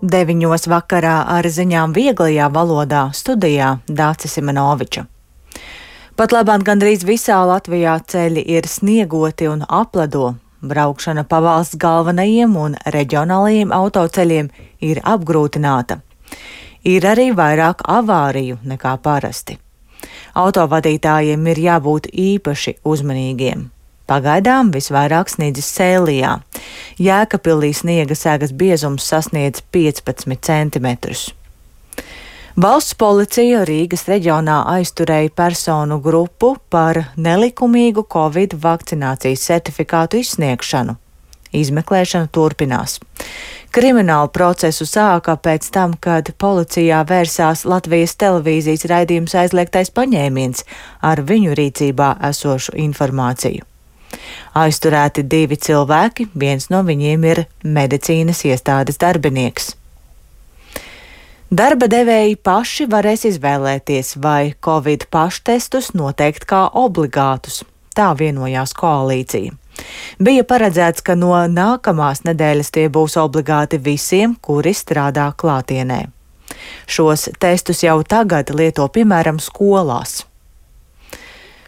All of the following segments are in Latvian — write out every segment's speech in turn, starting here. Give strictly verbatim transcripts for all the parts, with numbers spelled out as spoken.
Deviņos vakarā ar ziņām vieglajā valodā studijā Dāce Simenoviča. Pat labāk gandrīz visā Latvijā ceļi ir sniegoti un apledo. Braukšana pa valsts galvenajiem un reģionālajiem autoceļiem ir apgrūtināta. Ir arī vairāk avāriju nekā parasti. Autovadītājiem ir jābūt īpaši uzmanīgiem. Pagaidām visvairāk sniedzis Sēlijā. Jēkabpilī sniega segas biezums sasniedz piecpadsmit centimetrus. Valsts policija Rīgas reģionā aizturēja personu grupu par nelikumīgu Covid vakcinācijas certifikātu izsniegšanu. Izmeklēšana turpinās. Kriminālu procesu sāka pēc tam, kad policijā vērsās Latvijas televīzijas raidījums Aizliegtais paņēmiens ar viņu rīcībā esošu informāciju. Aizturēti divi cilvēki, viens no viņiem ir medicīnas iestādes darbinieks. Darba devēji paši varēs izvēlēties, vai Covid paštestus noteikt kā obligātus. Tā vienojās koalīcija. Bija paredzēts, ka no nākamās nedēļas tie būs obligāti visiem, kuri strādā klātienē. Šos testus jau tagad lieto piemēram skolās.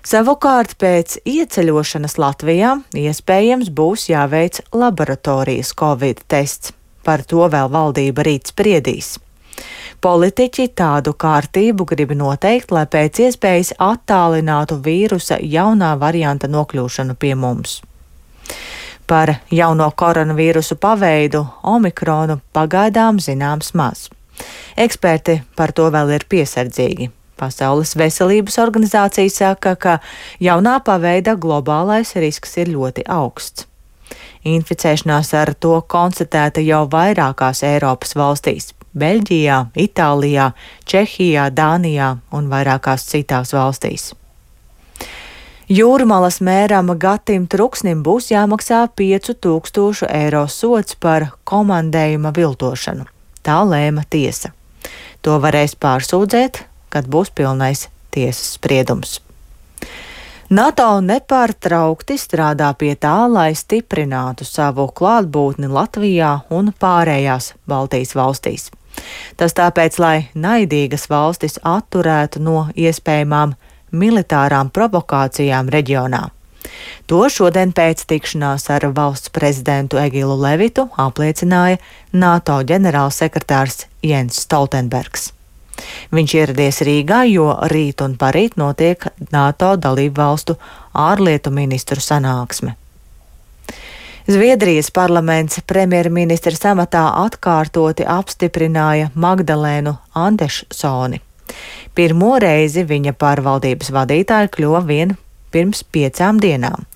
Savukārt pēc ieceļošanas Latvijā iespējams būs jāveic laboratorijas Covid tests. Par to vēl valdība rīt spriedīs. Politiķi tādu kārtību grib noteikt, lai pēc iespējas attālinātu vīrusa jaunā varianta nokļūšanu pie mums. Par jauno koronavīrusu paveidu omikronu pagaidām zināms maz. Eksperti par to vēl ir piesardzīgi. Pasaules veselības organizācija saka, ka jaunā paveida globālais risks ir ļoti augsts. Inficēšanās ar to konstatēta jau vairākās Eiropas valstīs - Beļģijā, Itālijā, Čehijā, Dānijā un vairākās citās valstīs. Jūrmalas mēram Gatim Truksnim būs jāmaksā piecu tūkstošu eiro sods par komandējuma viltošanu. Tā lēma tiesa. To varēs pārsūdzēt, kad būs pilnais tiesas spriedums. NATO nepārtraukti strādā pie tā, lai stiprinātu savu klātbūtni Latvijā un pārējās Baltijas valstīs. Tas tāpēc, lai naidīgas valstis atturētu no iespējamām militārām provokācijām reģionā. To šodien pēc tikšanās ar valsts prezidentu Egilu Levitu apliecināja NATO ģenerālsekretārs Jens Stoltenbergs. Viņš ieradies Rīgā, jo rīt un parīt notiek NATO dalību valstu ārlietu ministru sanāksme. Zviedrijas parlaments premjerministra amatā atkārtoti apstiprināja Magdalēnu Andersoni. Pirmo reizi viņa par valdības vadītāju kļuva vien pirms piecām dienām.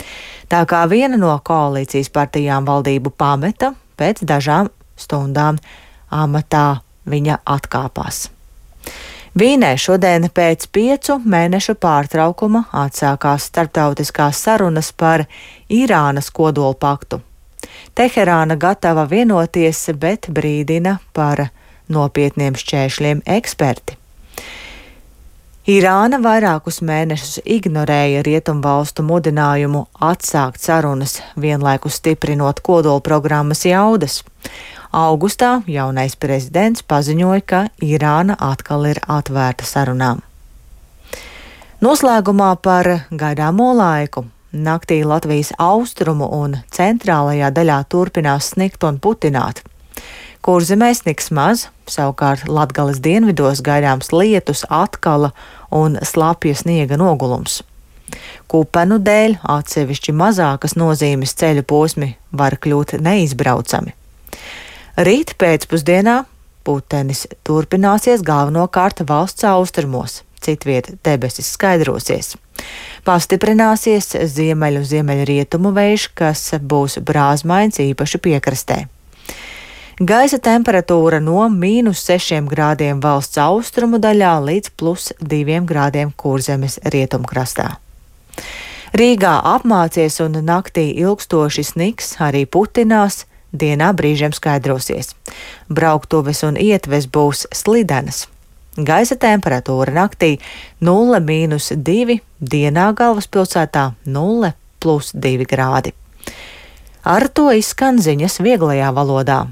Tā kā viena no koalīcijas partijām valdību pameta, pēc dažām stundām amatā viņa atkāpās. Vīnē šodien pēc piecu mēnešu pārtraukuma atsākās starptautiskās sarunas par Irānas kodolpaktu. Teherāna gatava vienoties, bet brīdina par nopietniem šķēršļiem eksperti. Irāna vairākus mēnešus ignorēja rietumvalstu mudinājumu atsākt sarunas, vienlaikus stiprinot kodolprogrammas jaudas. Augustā jaunais prezidents paziņoja, ka Irāna atkal ir atvērta sarunām. Noslēgumā par gaidāmo laiku. Naktī Latvijas austrumu un centrālajā daļā turpinās snikt un putināt. Kurzemē sniks maz, savukārt Latgales dienvidos gaidāms lietus, atkala un slapja sniega nogulums. Kupenu dēļ atsevišķi mazākas nozīmes ceļu posmi var kļūt neizbraucami. Rīt pēcpusdienā putenis turpināsies galvenokārt valsts austrumos, citviet debesis skaidrosies. Pastiprināsies ziemeļu ziemeļrietumu vējš, kas būs brāzmains īpaši piekrastē. Gaisa temperatūra no mīnus sešiem grādiem valsts austrumu daļā līdz plus diviem grādiem Kurzemes rietumkrastā. Rīgā apmācies un naktī ilgstoši sniks, arī putinās, dienā brīžiem skaidrosies. Brauktuves un ietves būs slidenas. Gaisa temperatūra naktī nulle mīnus divi, dienā galvaspilsētā nulle plus divi grādi. Ar to izskan ziņas vieglajā valodā.